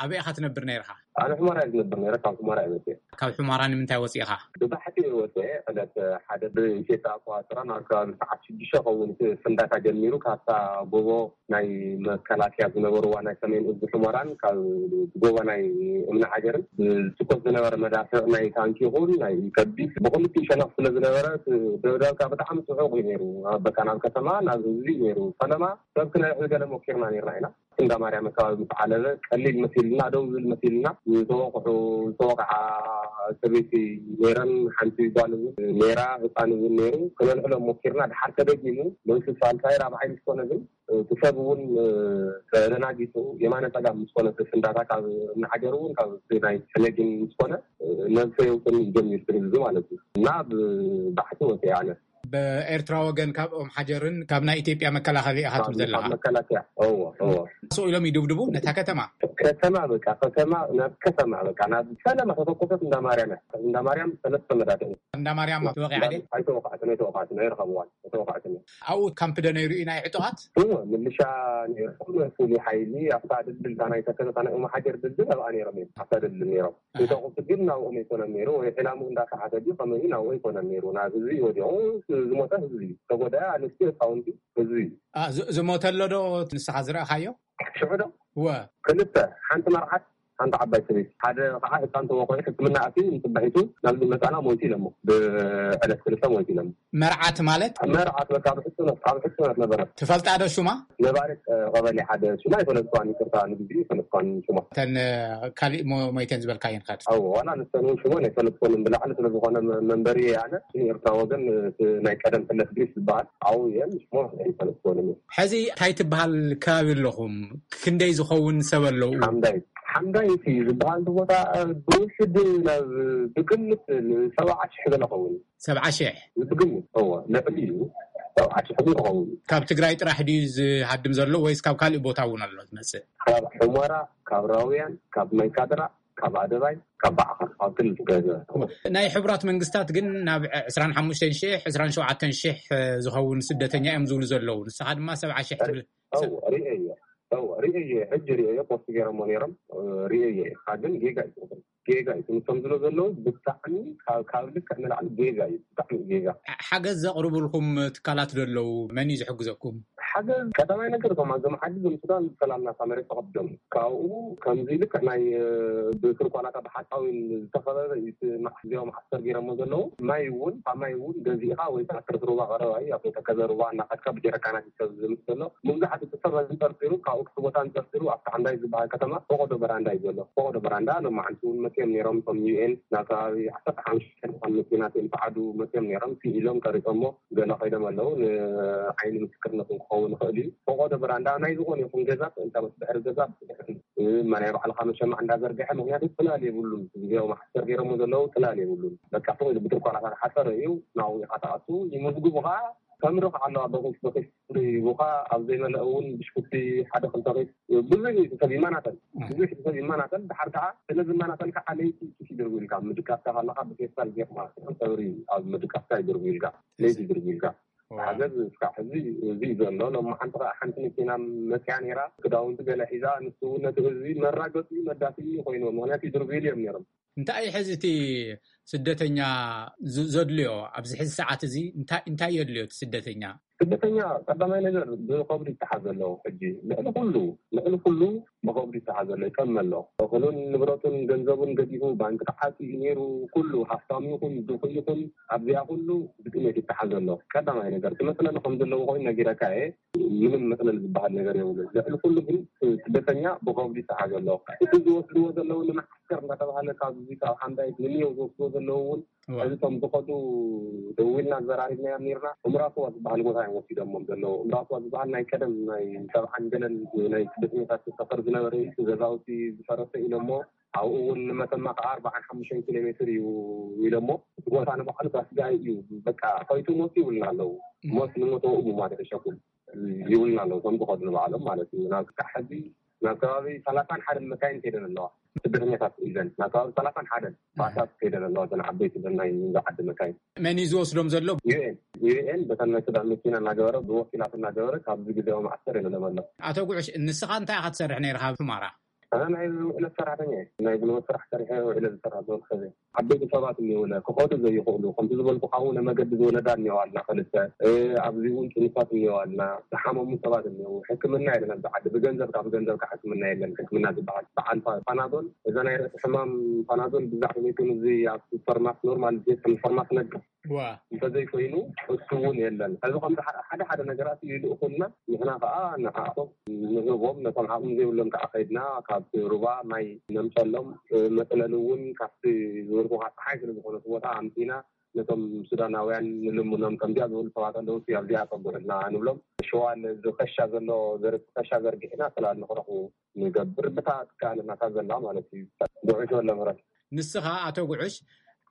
ኣበይ ኢኻ ትነብር ነይርኻ? ኣነ ሑመራ እየ ዝነብር ነይረ፣ ካብ ሑመራ እየ መጺአ። ካብ ሑመራ ንምንታይ ወጺእኻ? ብባሕቲ እየ ወጺአ፣ ዕለት ሓደ ብኢትዮጵያ ኣቆጻጽራ ናብ ከባቢ ሰዓት ሽዱሽተ ክኸውን እቲ ፍንዳታ ጀሚሩ፣ ካብታ ጎቦ ናይ መከላከያ ዝነበርዋ ናይ ሰሜን እዝ ሑመራን ካብ ጎቦ ናይ እምኒ ሓጀርን ዝትኮስ ዝነበረ መዳፍዕ ናይ ታንኪ ይኹን ናይ ከቢድ ብክልቲኡ ሸነኽ ስለ ዝነበረ እቲ ደብዳብካ ብጣዕሚ ጽዑቕ እዩ ነይሩ። በቃ ናብ ከተማ ናብ ህዝቢ እዩ ነይሩ። ፈለማ ሰብ ክነድሕን ገለ ሞኪርና ነይርና ኢና። እንዳ ማርያም ኣከባቢ ምስ ዓለበ ቀሊል መሲልና፣ ደው ዝብል መሲልና፣ ዝተወቕዑ፣ ዝተወቕዓ ሰበይቲ ነይረን፣ ሓንቲ ጓል እውን ነይራ፣ ህፃን እውን ነይሩ። ክነልዕሎም ሞኪርና፣ ድሓር ተደጊሙ፣ ለይቲ ሳልሳይ ራብዓይ ምስ ኮነ ግን፣ እቲ ሰብ እውን ተደናጊፁ፣ የማነ ፀጋም ምስ ኮነ፣ እቲ ፍንዳታ ካብ እምኒ ሓጀር እውን ካብ ናይ ሕነጊን ምስ ኮነ፣ ነብሰ የውፅን ጀሚሩ፣ ትርምዚ ማለት እዩ። እና ብባሕቲ ወፂአ ኣነ። ብኤርትራ ወገን ካብ ኦም ሓጀርን ካብ ናይ ኢትዮጵያ መከላኸሊ ኢኻ ትብል ዘለኻ? ካብ መከላከያ። እዎ፣ እዎ። ስቕ ኢሎም ይድብድቡ ነታ ከተማ? ከተማ በቃ፣ ከተማ፣ ናብ ከተማ በቃ፣ ናብ ፈለማ ተተኮሰት እንዳ ማርያም እያ። እንዳ ማርያም ሰለስተ መዳፍዕ። እንዳ ማርያም ተወቒዓ ድያ? ኣይተወቕዐትን፣ ኣይተወቕዐትን፣ ኣይረኸብዋን፣ ኣይተወቕዐትን እያ። ኣብኡ ካምፕ ዶ ነይሩ እዩ ናይ ዕጡቓት? እዎ፣ ምልሻ ነይሮም፣ ፍሉይ ሓይሊ፣ ኣብታ ድልድል፣ እታ ናይ ተከዘ፣ እታ ናይ ኦም ሓጀር ድልድል ኣብኣ ነይሮም እዮም። ኣብታ ድልድል ነይሮም። ኣሃ። ተኩሲ ግን ናብኦም ኣይኮነን ነይሩ፣ ወይ ዕላምኡ እንዳሰሓተ ድዩ ከመይ እዩ ናብኡ ኣይኮነን ነይሩ። ናብ ህዝቢ እዩ ወዲቑ፣ ዝሞተ ህዝቢ እዩ። ዝተጎድአ ኣንስቲ፣ ህፃውንቲ፣ ህዝቢ እዩ። አ፣ ዝ-፣ ዝሞተ ኣሎ ዶ ንስኻ ዝረኣኻዮ? ሽዑ ዶ? እወ። ክልተ፣ ሓንቲ መርዓት፣ ሓንቲ ዓባይ ሰበይቲ፣ ሓደ ከዓ ህፃን ተወቆዒ ሕክምና ኣትዩ፣ ንፅባሒቱ ናብ ዝመፃና ሞይቱ ኢለሞ። ብዕለት ክልተ ሞይቱ ኢለሞ። መርዓት ማለት? መርዓት በቃ ኣብ ሕፁነት፣ ኣብ ሕፁነት ነበረ። ትፈልጣ ዶ ሹማ? ነባሪት ቀበሌ ሓደ ሹማ ኣይፈለጥኳን፣ ይቅርታ ንግዜ ኣይፈለጥኳን ሹማ። እተን ካሊእ ሞይተን ዝበልካየን ከ? ኣዎ፣ ዋላ ንሰን እውን ሽሞን ኣይፈለጥኮንን፣ ብላዕሊ ስለ ዝኾነ መንበሪ ኣነ ንኤርትራ ወገን፣ ናይ ቀደም ሕለት ግሪስ ዝበሃል ኣብኡ እየን፣ ሽሞ ኣይፈለጥኮንን። ሕዚ እንታይ ትበሃል ከባቢ ኣለኹም? ክንደይ ዝኸውን ሰብ ኣለዉ? ሓምዳይት፣ ሓምዳይት እዩ ዝበሃል እቲ ቦታ። ብውሕድ ናብ ብግምት ሰብዓ ሽሕ ገለ ኸውን። ሰብዓ ሽሕ? ብግምት እዎ፣ ልዕሊ እዩ። ሰብዓ ሽሕ ግን ክኸውን እዩ። ካብ ትግራይ ጥራሕ ድዩ ዝሃድም ዘሎ ወይስ ካብ ካልእ ቦታ እውን ኣሎ ዝመጽእ? ካብ ሑመራ፣ ካብ ራውያን፣ ካብ ማይካድራ፣ ካብ ኣደባይ፣ ካብ ባዕኻ፣ ኣብ ክልል ትግራይ ዘሎ። ናይ ሕቡራት መንግስታት ግን ናብ ዕስራን ሓሙሽተን ሽሕ፣ ዕስራን ሸውዓተን ሽሕ ዝኸውን ስደተኛ እዮም ዝብሉ ዘለዉ። ንስኻ ድማ ሰብዓ ሽሕ ትብል። እዎ፣ ርእየ እየ። እዎ፣ ርእየ እየ። ሕጂ ርእየ እየ። ፖስት ገይሮሞ ነይሮም። ርእየ እየ። ኢኻ ግን ጌጋ እዩ። ጌጋ እዩ። ትምህርቶም ዝሎ ዘለዉ ብጣዕሚ ካብ ልክዕ ንላዕሊ ጌጋ እዩ። ብጣዕሚ ጌጋ። ሓገዝ ዘቕርቡልኩም ትካላት ዶ ኣለዉ? መን እዩ ዝሕግዘኩም? ሓገዝ ቀዳማይ ነገር እቶም ኣዞም ዓዲ ዞም ሱዳን ዝፈላልና እታ መሬት ተቐቢሎም ካብኡ ከምዚ ልክዕ ናይ ብትርኳላታ ብሓፃዊን ዝተኸበበ እዩ። እቲ ማሕዝያዊ ማሕሰር ገይሮሞ ዘለዉ ማይ እውን ካብ ማይ እውን ገዚእኻ ወይ ከዓ ትርፍ ሩባ ቀረባ እዩ ኣብ ተከዘ ሩባ እናኸድካ ብጀረካናት ይሰብ ዝምስ ዘሎ። መብዛሕትኡ እቲ ሰብ ኣንጠርጢሩ ካብኡ ክቲ ቦታ ኣንጠርጢሩ ኣብቲ ሓንዳይ ዝበሃል ከተማ ፈቆዶ በራንዳ እዩ ዘሎ። ፈቆዶ በራንዳ ሎማዓንቲ እውን መፅኦም ነይሮም እቶም ዩኤን ናብ ከባቢ ዓሰርተ ሓሙሽተ መኪናት እዮም ፃዓዱ መፅኦም ነይሮም። ስኢሎም ቀሪፆሞ ገለ ከይዶም ኣለዉ። ንዓይኒ ምስክርነት እውን ክኸውን ይኽእል እዩ። ፈቆዶ በራንዳ ናይ ዝኾነ ይኹን ገዛ እንታይ ምስ ድሕሪ ገዛ ናይ ባዕልካ መሸማዕ እንዳዘርግሐ ምክንያቱ ፅላል የብሉን። ግዜያዊ ማሕሰር ገይሮሞ ዘለዉ ፅላል የብሉን። በቃ ፈቂዱ ብትርኳላ ሓፀረ እዩ። ናብኡ ኢኻ ትኣቱ ይምዝግቡኻ። ተምርኽ ኣለዋ በኺስ በኺስ ይቡኻ። ኣብ ዘይመለእ እውን ብሽኩቲ ሓደ ክልተ ኺስ ብዙሕ እዩ ሰብ ይመናተል። ብዙሕ ሰብ ይመናተል። ድሓር ከዓ ስለ ዝመናተል ከዓ ለይቲ ኪስ ይድርቡ ኢልካ ምድቃስካ ከለካ ብፌስታል ጌርካ ተምሪ ኣብ ምድቃስካ ይድርቡ ኢልካ ለይቲ ይድርቡ ኢልካ። ሓገዝ እስካዕ ሕዚ እዚ ዘሎ ሎም ሓንቲ ከዓ ሓንቲ መኪና መፅያ ነይራ። ክዳውንቲ ገለ ሒዛ ንሱ እውን ነቲ ህዝቢ መራገፂ መዳሲ ኮይኑ ምክንያቱ ይድርቡ ኢሉ እዮም ነይሮም። እንታይ ሕዚ እቲ ስደተኛ ዘድልዮ ኣብዚ ሕዚ ሰዓት እዚ እንታይ የድልዮ እቲ ስደተኛ? ስደተኛ ቀዳማይ ነገር ብኸብዱ ይተሓዘ ኣለዉ። ሕጂ ልዕሊ ኩሉ ልዕሊ ኩሉ ብኸብዱ ይተሓዘ ኣሎ ይጠመ ኣሎ። እኽሉን ንብረቱን ገንዘቡን ገዲፉ ባንክ ተዓፂ ነይሩ። ኩሉ ሃፍታሙ ይኹን ድኹ ይኹን ኣብዚኣ ኩሉ ብጥሜት ይተሓዘ ኣሎ። ቀዳማይ ነገር ትመስለኒ ከም ዘለዎ ኮይኑ ነጊረካ እየ። ምንም መጥለል ዝበሃል ነገር የብሉን። ልዕሊ ኩሉ ግን ስደተኛ ብኸብዱ ይተሓዘ ኣሎ። እቲ ዝወስድዎ ዘለዉ ንመዓስከር እንዳተባሃለ ካብዚ ካብ ሓምዳይት ንንየው ዝወስድዎ ዘለዉ እውን ሕዚ እቶም ዝኸዱ ደዊልና ዘራሪብናዮም ነርና። እምራክዋ ዝበሃል ቦታ እዮም ወሲዶሞም ዘለዉ። እምራክዋ ዝበሃል ናይ ቀደም ናይ ሰብዓን ገለን ናይ ስደተኛታት ሰፈር ዝነበረ እዩ። ገዛውቲ ዝፈረሰ ኢሎሞ ኣብኡ እውን ንመተማ ከዓ ኣርባዓን ሓሙሽተን ኪሎ ሜትር እዩ ኢሎሞ እቲ ቦታ ንባዕሉ ባስጋይ እዩ። በቃ ከይቱ ሞት ይብልና ኣለዉ። ሞት ንሞት ወኡ ማለት ሸኩል ይብልና ኣለዉ። ከም ዝኸዱ ንባዕሎም ማለት እዩ። ናብ ክሳዕ ሕዚ ናብ ከባቢ ሰላሳን ሓደን መካይን ከይደን ኣለዋ። ስደተኛታት ኢለን ናብ ከባቢ ሰላሳን ሓደን ባሳት ከይደን ኣለዋ። እተን ዓበይቲ እተን ናይ ንዛ ዓዲ መካይን። መን እዩ ዝወስዶም ዘሎ? ዩኤን ዩኤን በተን ናይ ሱዳን መኪና እናገበረ ብወኪላት እናገበረ ካብዚ ግዜያዊ ማዕሰር የለሎም ኣሎ። ኣቶ ጉዕሽ ንስኻ እንታይ ኢኻ ትሰርሕ ነይርካ ኣብ ሑማራ? ኣነ ናይ ውዕለት ሰራሕተኛ እየ። ናይ ጉልበት ስራሕ ሰሪሐ ውዕለ ዝሰራ ዝበልከ ዓበይቲ ሰባት እኒውለ ክኸዱ ዘይኽእሉ ከምቲ ዝበልኩ ካብኡ ነመገዲ ዝወለዳ እኒዋልና ክልተ ኣብዚ እውን ጥኑሳት እኒዋልና ዝሓመሙ ሰባት እኒው ሕክምና የለን ኣብዚ ዓዲ ብገንዘብ ካብ ገንዘብ ካብ ሕክምና የለን ሕክምና ዝበሃል በዓል ፓናዶል እዛ ናይ ርእሲ ሕማም ፓናዶል ብዛዕባ ቤቱን እዚ ኣብ ሱፐርማርት ኖርማል ቤት ሱፐርማርት ነግር እንተዘይኮይኑ እሱ እውን የለን። ሕዚ ከም ሓደ ሓደ ነገራት ይልእኹልና ንሕና ከዓ ንዓኣቶም ንህቦም ነቶም ዓቕሚ ዘይብሎም ከዓ ከይድና ካብ ሩባ ማይ ነምፀሎም። መፅለሊ እውን ካብቲ ዝበልኩካ ፀሓይ ስለዝኮነ እቲ ቦታ ኣምፂና ነቶም ሱዳናውያን ንልምኖም ከምዚኣ ዝበሉ ሰባት ኣለዉ ኣብዚኣ ፀጉዕልና ንብሎም። ሸዋል እዚ ከሻ ዘሎ ከሻ ዘርጊሕና ስላል ንክረኽቡ ንገብር ብታ ትከኣለናታ ዘላ ማለት እዩ። ጉዕሽ ወለ ምረት ንስኻ ኣቶ ጉዕሽ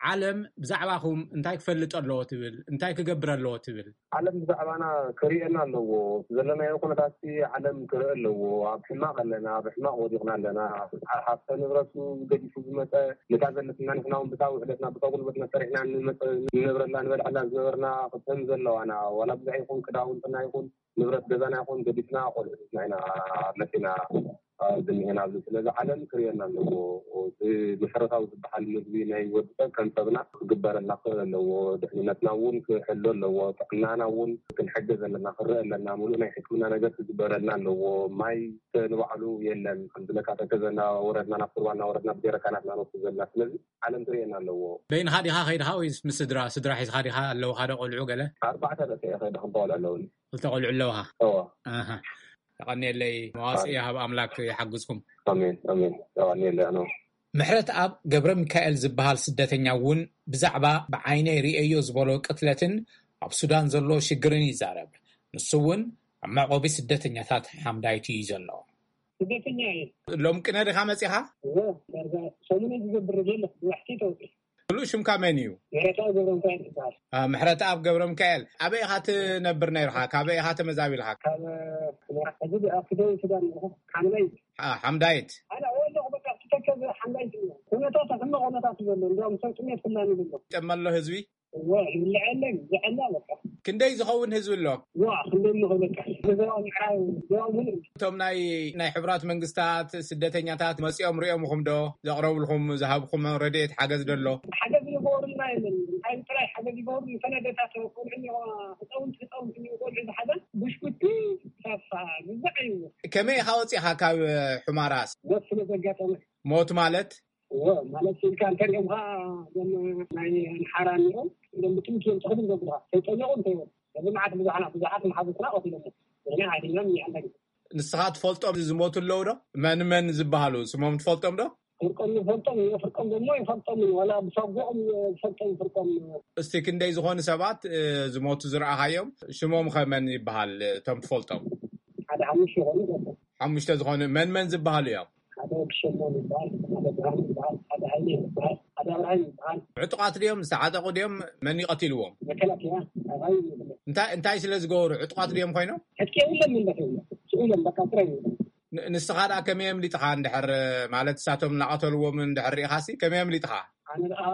ዓለም ብዛዕባኹም እንታይ ክፈልጥ ኣለዎ ትብል እንታይ ክገብር ኣለዎ ትብል? ዓለም ብዛዕባና ክርእየና ኣለዎ። ዘለናዮ ኩነታት ዓለም ክርኢ ኣለዎ። ኣብ ሕማቕ ኣለና ኣብ ሕማቕ ወዲቕና ኣለና። ሃፍተ ንብረቱ ገዲፉ ዝመፀ ነታ ዘለትና ንሕና እውን ብታ ውዕለትና ብታ ጉልበትና ሰሪሕና ንመፀ ንነብረላ ንበልዐላ ዝነበርና ክተን ዘለዋና ዋላ ብዙሕ ይኹን ክዳውንትና ይኹን ንብረት ገዛና ይኹን ገዲፍና ቆልዑትና ኢና መፂና ዝኒሀና ኣብዚ። ስለዚ ዓለም ክርእየና ኣለዎ። እዚ መሰረታዊ ዝበሃል ምግቢ ናይ ወዲ ሰብ ከም ሰብና ክግበረልና ክኽእል ኣለዎ። ድሕንነትና እውን ክሕሎ ኣለዎ። ጥዕናና እውን ክንሕገዝ ኣለና፣ ክረአ ኣለና። ሙሉእ ናይ ሕክምና ነገር ክግበረልና ኣለዎ። ማይ ንባዕሉ የለን። ከም ዝለካ ተከዘ እናወረድና ናብ ቁርባ እናወረድና ብጀረካናትና ንወስድ ዘለና። ስለዚ ዓለም ትርእየና ኣለዎ። በይንኻ ዲኻ ከይድኻ ወይስ ምስ ስድራ? ስድራ ሒዝኻ ዲኻ ኣለውኻ ዶ ቆልዑ ገለ? ኣርባዕተ ደቂ እየ ከይደ፣ ክልተ ቆልዑ ኣለውኒ። ክልተ ቆልዑ ኣለውኻ? እወ። ኣሃ። ተቐንየለይ፣ መዋጽእ ይሃብ ኣምላክ ይሓግዝኩም። ኣሜን፣ ኣሜን። ተቐንየለይ ኣነ። ምሕረት ኣብ ገብረ ሚካኤል ዝበሃል ስደተኛ እውን ብዛዕባ ብዓይነይ ርእየዮ ዝበሎ ቅትለትን ኣብ ሱዳን ዘሎ ሽግርን ይዛረብ። ንሱ እውን ኣብ መዕቆቢ ስደተኛታት ሓምዳይት እዩ ዘሎ። ስደተኛ እየ። ሎም ቅነ ዲኻ መጺኻ? እወ፣ ዳርጋ ሰሙን ዝገብር የለ፣ ብዋሕቲ ተውፅእ። ሙሉእ ሽምካ መን እዩ? ምሕረተኣብ ገብረ ሚካኤል ይበሃል። አ፣ ምሕረተኣብ ገብረ ሚካኤል። ኣበይ ኢኻ ትነብር ነይርኻ? ካበይ ኢኻ ተመዛቢልካ? ካብ፣ እ፣ ሕመራ። ሕዚ ኣብ ደቡብ ሱዳን ኣለኹ። ሓምዳይት። አ፣ ሓምዳይት። ኣነ ኣለኹ፣ በቃ፣ ትተከዘ ሓምዳይት እዩ። ኩነታት ሕማቕ ኩነታት እዩ ዘሎ። እንዲያውም ሰብ ጥሜት ፍላሚ ዘሎ። ይጠመ ኣሎ ህዝቢ? እወ፣ ይብልዕ የለን፣ ይብልዕ የለን፣ በቃ። ክንደይ ዝኸውን ህዝቢ ኣሎ? ዋ፣ ክንደይ ምኸ በቃ። ብዞባ ምዕራብ፣ ዞባ ሙሉእ። እቶም ናይ፣ ናይ ሕቡራት መንግስታት ስደተኛታት መጺኦም ሪኦምኹም ዶ? ዘቕረቡልኩም፣ ዝሃብኩም ረድኤት ሓገዝ ዶ ኣሎ? ሓገዝ ይገብሩልና የለን። እንታይ ጥራይ ሓገዝ ይገብሩ? ንሰነደታት ቆልዑ እኒኦ፣ ህፃውንቲ፣ ህፃውንቲ እኒኦ፣ ቆልዑ ዝሓዘ ብሽኩቲ፣ ሳፋ፣ ግዛዕ እዩ። ከመይ ኢኻ ወፂኻ ካብ ሑማራስ? ሞት ስለ ዘጋጠመ። ሞት ማለት? እወ፣ ማለት ኢልካ እንተሪኦምኻ፣ እዞም ናይ ኣምሓራ እኒኦም፣ እዞም ብጥምቲ እዮም ተኽሉ ዘብሉኻ። ከይጠየቑ እንተይበሉ። እዚ መዓት ብዙሓት፣ ብዙሓት መሓዙትና ቀቲሎሞ። ንሕና ሓዲግናም እኒኣና። ንስኻ ትፈልጦም ዝሞቱ ኣለዉ ዶ? መን መን ዝበሃሉ? ስሞም ትፈልጦም ዶ? ፍርቆም ይፈልጦም፣ ፍርቆም ደሞ ይፈልጦም። ዋላ ብሳጓኦም ይፈልጦም ፍርቆም። እስቲ ክንደይ ዝኾኑ ሰባት፣ እ፣ ዝሞቱ ዝረኣኻዮም? ሽሞም ኸ መን ይበሃል? እቶም ትፈልጦም? ሓደ ሓሙሽተ ይኾኑ ይፈልጦም። ሓሙሽተ ዝኾኑ መን መን ዝበሃሉ እዮም? ሓደ ወዲ ሸሞን ይበሃል፣ ሓደ ብርሃኑ ይበሃል፣ ሓደ ሃይለ ይበሃል፣ ሓደ ኣብርሃም ይበሃል። ዕጡቓት ድዮም? ዝተዓጠቑ ድዮም? መን እዩ ቀቲልዎም? መከላከያ፣ ኣባይ ይብለ። እንታይ፣ እንታይ ስለ ዝገበሩ? ዕጡቓት ድዮም ኮይኖም? ዕጥቂ የብሎም፣ ምንደፍ የብሎም። ስኢሎም በቃ ጥራይ ይብሎም። ን-፣ ንስኻ ደኣ ከመይ ኣምሊጥኻ እንድሕር፣ ማለት ንሳቶም እናቐተልዎም እንድሕር ርኢኻሲ ከመይ ኣምሊጥኻ? ኣነ ደኣ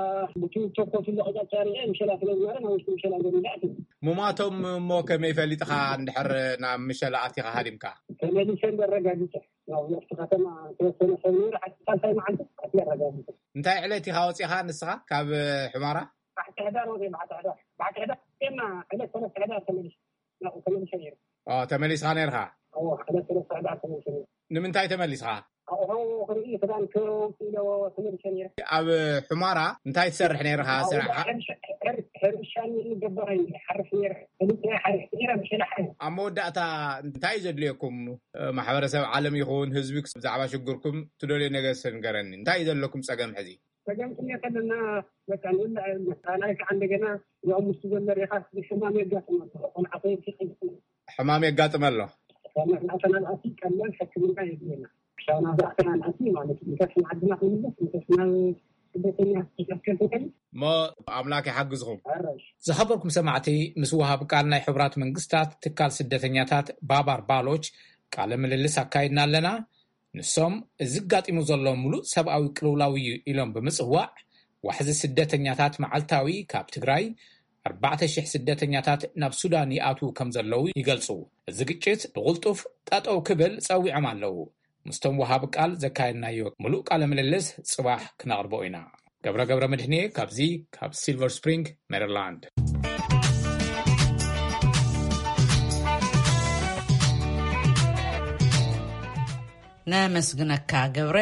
ብቲ ተኮሱ ለቐጫጫ ርኤ ምሸላ ስለ ዝነበረ ናብ ውሽጢ ምሸላ ገዲለ ኣትየ። ሙማቶም እሞ ከመይ ፈሊጥኻ እንድሕር ናብ ምሸላ ኣቲኻ ሃዲምካ? ተመሊሰ እንደ ኣረጋጊጸ። ያው ኣብቲ ከተማ ተወሰነ ሰብ ነይሩ፣ ሓንቲ ሳልሳይ መዓልቲ ኣትየ ኣረጋጊጸ። እንታይ ዕለት ኢኻ ወጺኻ ንስኻ ካብ ሑመራ? ባሕቲ ሕዳር ወጺኤ፣ ባሕቲ ሕዳር። ባሕቲ ሕዳር ወጺኤና ዕለት ሰለስተ ሕዳር ተመሊሰ። ናብኡ ተመሊሰ ነይረ። ኦ፣ ተመሊስኻ ነይርኻ? እወ፣ ዕለት ሰለስተ ሕዳር ተመሊሰ ነይረ። ንምንታይ ተመሊስኻ? ኣቑሑ ክርኢ፣ ክዳን ከውጽእ ኢለ ተመሊሰ ነይረ። ኣብ ሑመራ እንታይ ትሰርሕ ነይርኻ? ኣብኡ ስራሕኻ? ሕርሻ፣ ሕር-፣ ሕርሻ ነይሩ፣ ገባራይ ነይረ፣ ሓርስ ነይረ። ፈሊጠ ሓሪስ ነይረ፣ ብሸላ ሓሪስ። ኣብ መወዳእታ እንታይ እዩ ዘድልየኩም? ማሕበረሰብ ዓለም ይኹን ህዝቢ ብዛዕባ ሽግርኩም ትደልዮ ነገር እስከ ንገረኒ። እንታይ እዩ ዘለኩም ጸገም ሕዚ? ጸገም ጥሜት ኣለና፣ በቃ ንብላዕ የብልና። ካልኣይ ከዓ እንደገና ያው ምስቲ ዘሎ ሬኻ ሕማም የጋጥም ኣሎ። ቆልዓ ከየብቲ ቀይሕ ሕማም የጋጥም ኣሎ። ካብ መብላዕተና ንኣቲ ቀለል ሕክምና የድልየና። ክሳብ ናብዛ ኣተና ንኣቲ ማለት እዩ። እንተስ ንዓድና ክንምለስ፣ እንተስ ናብ ስደተኛ ክሰከል ትኽእል። እሞ ኣምላክ ይሓግዝኹም። ኣራሽ። ዝኸበርኩም ሰማዕቲ፣ ምስ ወሃብ ቃል ናይ ሕቡራት መንግስታት ትካል ስደተኛታት ባባር ባሎች ቃለ ምልልስ ኣካይድና ኣለና። ንሶም፣ እዚ ኣጋጢሙ ዘሎ ምሉእ ሰብኣዊ ቅልውላው እዩ ኢሎም ብምጽዋዕ፣ ዋሕዚ ስደተኛታት መዓልታዊ ካብ ትግራይ ኣርባዕተ ሽሕ ስደተኛታት ናብ ሱዳን ይኣትዉ ከም ዘለዉ ይገልጹ። እዚ ግጭት ብቕልጡፍ ጠጠው ክብል ጸዊዖም ኣለዉ። ምስቶም ወሃቢ ቃል ዘካየድናዮ ምሉእ ቃለ ምልልስ ጽባሕ ክነቕርቦ ኢና። ገብረ ገብረ መድህኔ ካብዚ ካብ ሲልቨር ስፕሪንግ ሜሪላንድ። ነመስግነካ ገብረ።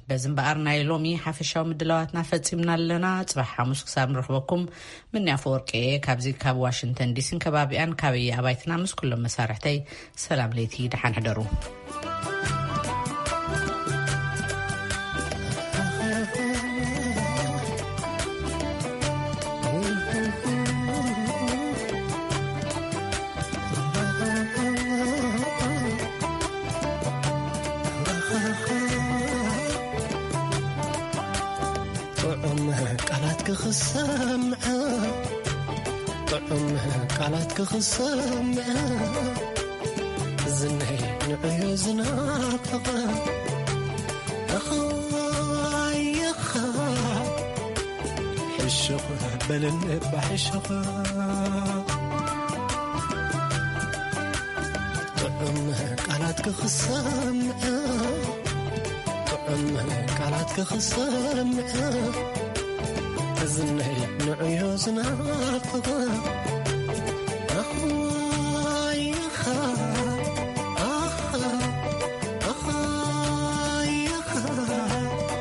በዚ እምበኣር ናይ ሎሚ ሓፈሻዊ ምድላዋትና ፈጺምና ኣለና። ጽባሕ ሓሙስ ክሳብ ንረኽበኩም ምንያ ኣፈወርቂ እየ ካብዚ ካብ ዋሽንግተን ዲሲን ከባቢኣን ካበየ ኣባይትና ምስ ኩሎም መሳርሕተይ ሰላም ለይቲ፣ ደሓን ሕደሩ። ጥዑም ቃላት ክኽሰምዐ፣ ጥዑም ቃላት ክኽሰምዐ፣ ዝነይ ንዕዮ ዝናፍቐ። ኣኻይኻ ሕሹኽ በልኒ እባ ሕሹኽ። ጥዑም ቃላት ክኽሰምዐ፣ ቃላት ክኽሰምዕ ትዝነይ ንዕዮ ዝናፍቕ